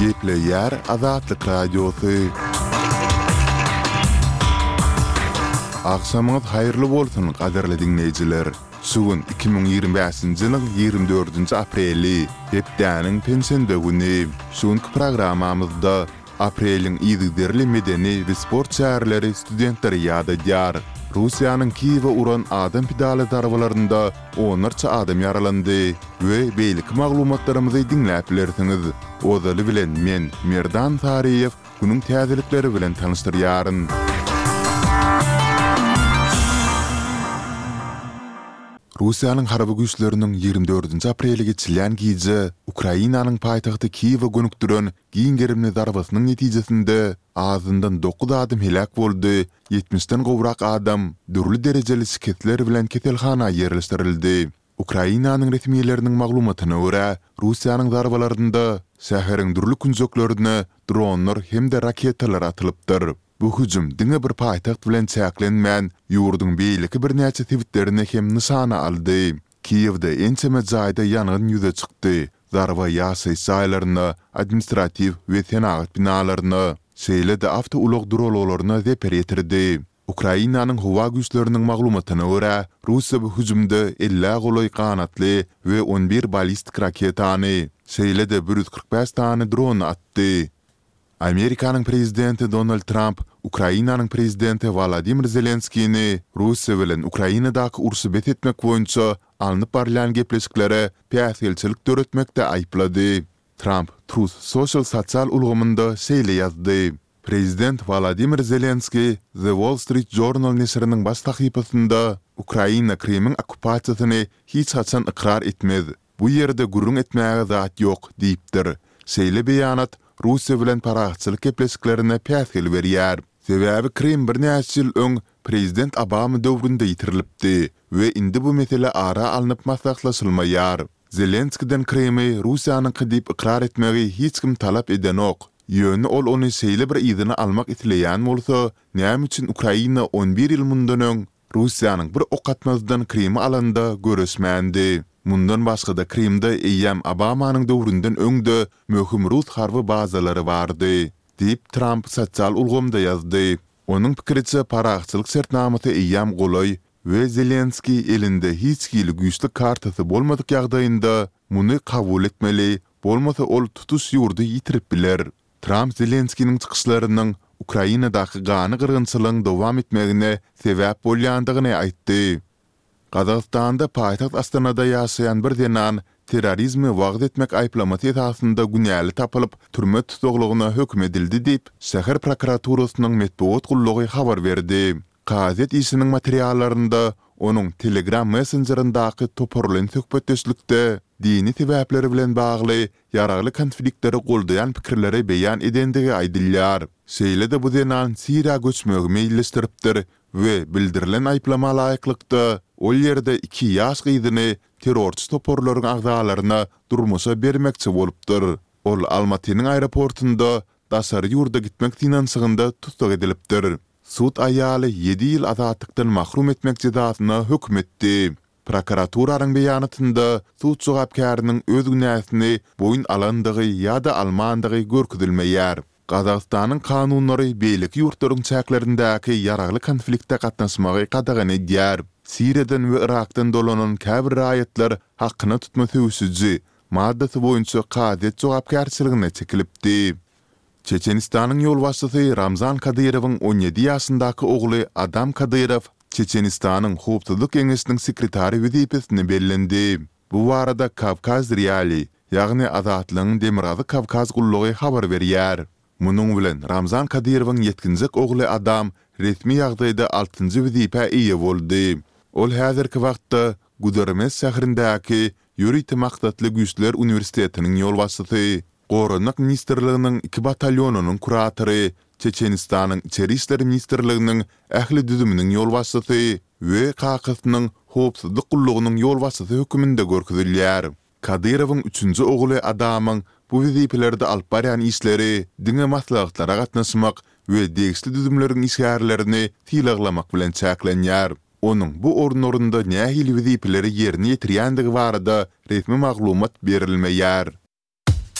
Gepleýär Azatlyk Radiosy. Agşamyňyz haýyrly bolsun, gadyrly diňleýjiler! Şu gün 2025-nji ýylyň 24-nji apreli, hepdäniň penşenbe güni. Şu günki programmamyzda Apreliň yzygiderli medeni we sport çäreleri studentleri ýadadýar. Russiýanyň Kiýewe uran adam pidaly zarbalarynda onlarça adam ýaralandy we beýleki maglumatlarymyzy diňläp bilersiňiz. Ozaly bilen men, Merdan Saryýew, günüň täzelikleri bilen tanyşdyrýaryn. Russiýanyň harby güýçleriniň 24-nji apreli geçilýän gije Ukrainanyň paýtagty Kiýewe gönükdiren giň gerimli zarbasynyň netijesinde azyndan dokuz adam heläk boldy, ýetmişden gowrak adam dürli derejeli şikesler bilen keselhana ýerleşdirildi. Ukrainanyň resmileriniň maglumatyna görä, Russiýanyň zarbalarynda şäheriň dürli künjeklerine dronlar hem-de raketalar atylypdyr. Bu hüjüm diňe bir paýtagt bilen çäklenmän, ýurduň beýleki birnäçe sebitlerini hem nyşana aldy. Kiýewde ençeme jaýda ýangyn ýüze çykdy, zarba ýaşaýyş jaýlaryna, administratiw we senagat binalaryna, şeýle-de awtoulag duralgalaryna zeper ýetirdi. Ukrainanyň howa güýçleriniň maglumatyna görä, Russiýa bu hüjümde ellä golaý ganatly we on bir ballistik raketany, şeýle-de 145 sany drony atdy. Amerikanyň prezidenti Donald Tramp Ukrainanyň prezidenti Wolodymyr Zelenskini Russiýa bilen Ukrainadaky urşy bes etmek boýunça alnyp barylýan gepleşiklere päsgelçilik döretmekde aýyplady. Tramp Truth Social sosial ulgamynda şeýle ýazdy, Prezident Wolodymyr Zelenski The Wall Street Journal neşiriniň baş sahypasynda Ukraina Krymyň okkupasiýasyny hiç haçan ykrar etmez Bu ýerde gürrüň etmäge zat ýok diýipdir. Şeýle beýanat Russiýa bilen parahatçylyk gepleşiklerine päsgel berýär. Sebäbi Krym birnäçe ýyl öň prezident Obama döwründe ýitirilipdi we indi bu mesele ara alnyp maslahatlaşylmaýar. Zelenskiden Krymy Russiýanyňky diýip ykrar etmegi hiç kim talap edenok. Ýöne ol ony şeýle bir yzyna almak isleýän bolsa, näme üçin Ukraina on bir ýyl mundan öň Russiýanyň bir ok atmazdan Krymy alanda göreşmändi. Mundan başga-da Krymda eýýäm Obamanyň döwründen öň-de möhüm rus harby bazalary bardy, diýip, Tramp sosial ulgamda ýazdy. Onuň pikiriçe, parahatçylyk şertnamasy eýýäm golaý we Zelenskiý elinde hiç hili güýçli kartasy bolmadyk ýagdaýynda muny kabul etmeli, bolmasa ol tutuş ýurdy ýitirip biler. Tramp Zelenskiniň çykyşlarynyň Ukrainadaky ganly gyrgynçylygyň dowam etmegine sebäp bolýandygyny aýtdy. Gazagystanda paýtagt Astanada ýaşaýan bir zenan terrorizmi wagyz etmek aýyplamasy esasynda günäli tapylyp, türme tussaglygyna höküm edildi diýip, şäher prokuraturasynyň metbugat gullugy habar berdi. Kazyýet işiniň materiallarynda onuň Telegram messenjerindäki toparlaýyn söhbetdeşlikde dini sebäpler bilen bagly ýaragly konfliktleri goldaýan pikirleri beýan edendigi aýdylýar. Şeýle-de bu zenan Siriýa göçmegi meýilleşdiripdir we bildirilen aýyplama laýyklykda, ol ýerde iki ýaş gyzyny terrorçy toparlaryň agzalaryna durmuşa bermekçi bolupdyr. Ol Almatynyň aeroportunda daşary ýurda gitmek synanyşygynda tussag edilipdir. Sud aýaly ýedi ýyl azatlykdan mahrum etmek jezasyna höküm etdi. Prokuraturanyň beýanatynda sud jogapkäriniň öz günäsini boýun alandygy ýa-da almandygy görkezilmeýär. Gazagystanyň kanunlary beýleki ýurtlaryň çäklerindäki ýaragly konflikte gatnaşmagy gadagan edýär. Siriýadan we Yrakdan dolanan käbir raýatlar hakyna tutma söweşiji maddasy boýunça kazyýet jogapkärçiligine çekilipdi. Çeçenistanyň ýolbaşçysy Ramzan Kadyrowyň on ýedi ýaşyndaky ogly Adam Kadyrow Çeçenistanyň Howpsuzlyk geňeşiniň sekretary wezipesine bellendi. Bu barada Kawkaz Realii, ýagny Azatlygyň Demirgazyk Kawkaz gullugy habar berýär. Munuň bilen Ramzan Kadyrowyň ýetginjek ogly Adam resmi ýagdaýda altynjy wezipä eýe boldy. Ol häzirki wagtda Gudermes şäherindäki Ýörite maksatly güýçler uniwersitetiniň ýolbaşçysy, Goranmak ministrliginiň iki batalýonynyň kuratory, Çeçenistanyň Içeri işler ministrliginiň ähli düzüminiň ýolbaşçysy we kakasynyň howpsuzlyk gullugynyň ýolbaşçysy höküminde görkezilýär. Kadyrowyň üçünji ogly Adamyň bu wezipelerde alyp barýan işleri diňe maslahatlara gatnaşmak we degişli düzümleriň işgärlerini sylaglamak bilen çäklenýär. Onuň bu orunlarynda nähili wezipeleri ýerine ýetirýändigi barada resmi maglumat berilmeýär.